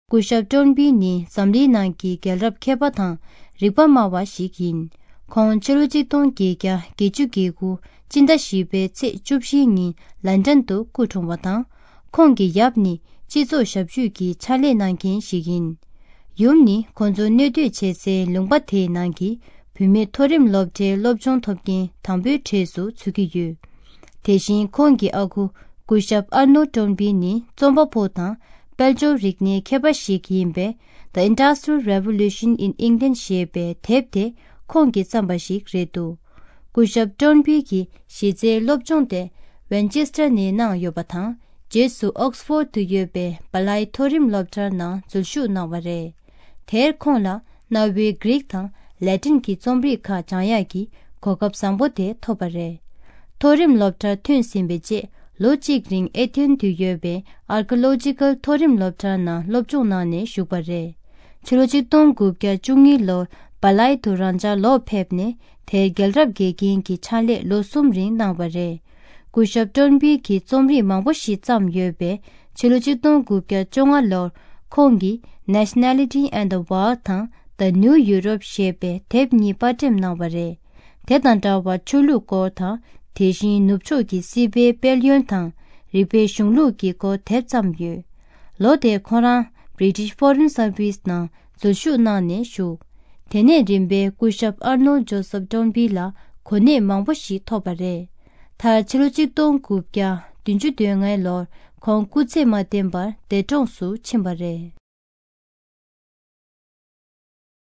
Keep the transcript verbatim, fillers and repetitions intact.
སྐུ་ཞབས་ཀྲོན་པི་ནི་འཛམ་གླིང་ནང་གི་རྒྱལ་རབས་མཁས་པ་དང་རིག་པ་སྨྲ་བ་ཞིག་ཡིན། ཁོང་ཕྱི་ལོ་གཅིག་སྟོང་བརྒྱད་བརྒྱ་བརྒྱད་ཅུ་གྱ་དགུ་སྤྱི་ཟླ་བཞི་པའི་ཚེས་བཅུ་བཞི་ཉིན་ལན་ཀྲན་དུ་སྐུ་འཁྲུངས་པ་དང་། ཁོང་གི་ཡབ་ནི་སྤྱི་ཚོགས་ཞབས་ཞུས་ཀྱི་ཕྱག་ལས་གནང་མཁན་ཞིག་ཡིན། ཡུམ་ནི་ཁོང་ཚོ་གནས་སྡོད་བྱེད་སའི་ལུང་པ་དེའི་ནང་གི་བུད་མེད་མཐོ་རིམ་སློབ་གྲྭའི་སློབ་སྦྱོང་ཐོབ་མཁན་དང་པོའི་གྲས་སུ་ཚུད་ཀྱི་ཡོད། དེ་བཞིན་ཁོང་གི་ཨ་ཁུ་སྐུ་ཞབས་ཨར་ནོལ་ཀྲོན་པི་ནི་རྩོམ་པ་པོ་དང་དཔལ་འབྱོར་རིག་གནས་མཁས་པ་ཞིག་ཡིན་པས། The Industrial Revolution in England ཞེས་པའི་དེབ་དེ་ཁོང་གིས་བརྩམས་པ་ཞིག་རེད་འདུག་སྐུ་ཞབས་ཀྲོན་པི་གི་གཞི་རྩའི་སློབ་སྦྱོང་དེ་ཝན་ཅེ་སི་ཊར་ནས་གནང་ཡོད་པ་དང་། རྗེས་སུ་ཨོག་སི་ཕོར་དུ་ཡོད་པའི་བ་ལའི་མཐོ་རིམ་སློབ་གྲྭར་ནང་འཛུལ་ཞུགས་གནང་བ་རེད། དེར་ཁོང་ལ་གནའ་བོའི་གྷི་རིག་དང་ལེ་ཏིན་གྱི་རྩོམ་རིག་ཁག་སྦྱང་ཡག་གི་གོ་སྐབས་བཟང་པོ་དེ་ཐོབ་པ་རེད། མཐོ་རིམ་སློབ་གྲྭར་ཐོན་ཟིན་པའི་རྗེས་ལོ་གཅིག་རིང་ཨེ་ཐེན་དུ་ཡོད་པའི་ཨར་ཀི་ལོ་ཇི་ཀལ་མཐོ་རིམ་སློབ་གྲྭར་ནང་སློབ་སྦྱོང་གནང་ནས་བཞུགས་པ་རེད། ཕྱི་ལོ་གཅིག་སྟོང་དགུ་བརྒྱ་བཅུ་གཉིས་ལོར་བ་ལའི་དུ་རང་འཇགས་ལོག་ཕེབས་ནས་དེར་རྒྱལ་རབས་དགེ་རྒན་གྱི་ཕྱག་ལས་ལོ་གསུམ་རིང་གནང་བ་རེད། སྐུ་ཞབས་ཀྲོན་པི་གིས་རྩོམ་རིག་མང་པོ་ཞིག་བརྩམས་ཡོད་པས། ཕྱི་ལོ་གཅིག་སྟོང་དགུ་བརྒྱ་བཅོ་ལྔ་ལོར་ཁོང་གིས་Nationality and the World དང་The New Europe ཞེས་པའི་དེབ་གཉིས་པར་འགྲེམས་གནང་བ་རེད། དེ་དང་འདྲ་བར་ཆོས་ལུགས་སྐོར་དང་། དེ་བཞིན་ནུབ་ཕྱོགས་ཀྱི་སྲིད་པའི་དཔལ་ཡོན་དང་། རིག་པའི་གཞུང་ལུགས་ཀྱི་སྐོར་དེབ་བརྩམས་ཡོད། ལོ་དེར་ཁོ་རང་British Foreign Service ནང་འཛུལ་ཞུགས་གནང་ནས་བཞུགས། དེ་ནས་རིམ་པས་སྐུ་ཞབས་ཨར་ནོལ་ཇོ་སབ་ཀྲོན་པི་ལ་གོ་གནས་མང་པོ་ཞིག་ཐོབ་པ་རེད། མཐར་ཕྱི་ལོ་གཅིག་སྟོང་དགུ་བརྒྱ་བདུན་ཅུ་དོན་ལྔའི་ལོར་ཁོང་སྐུ་ཚེ་མ་བརྟན་པར་འདས་གྲོངས་སུ་ཕྱིན་པ་རེད།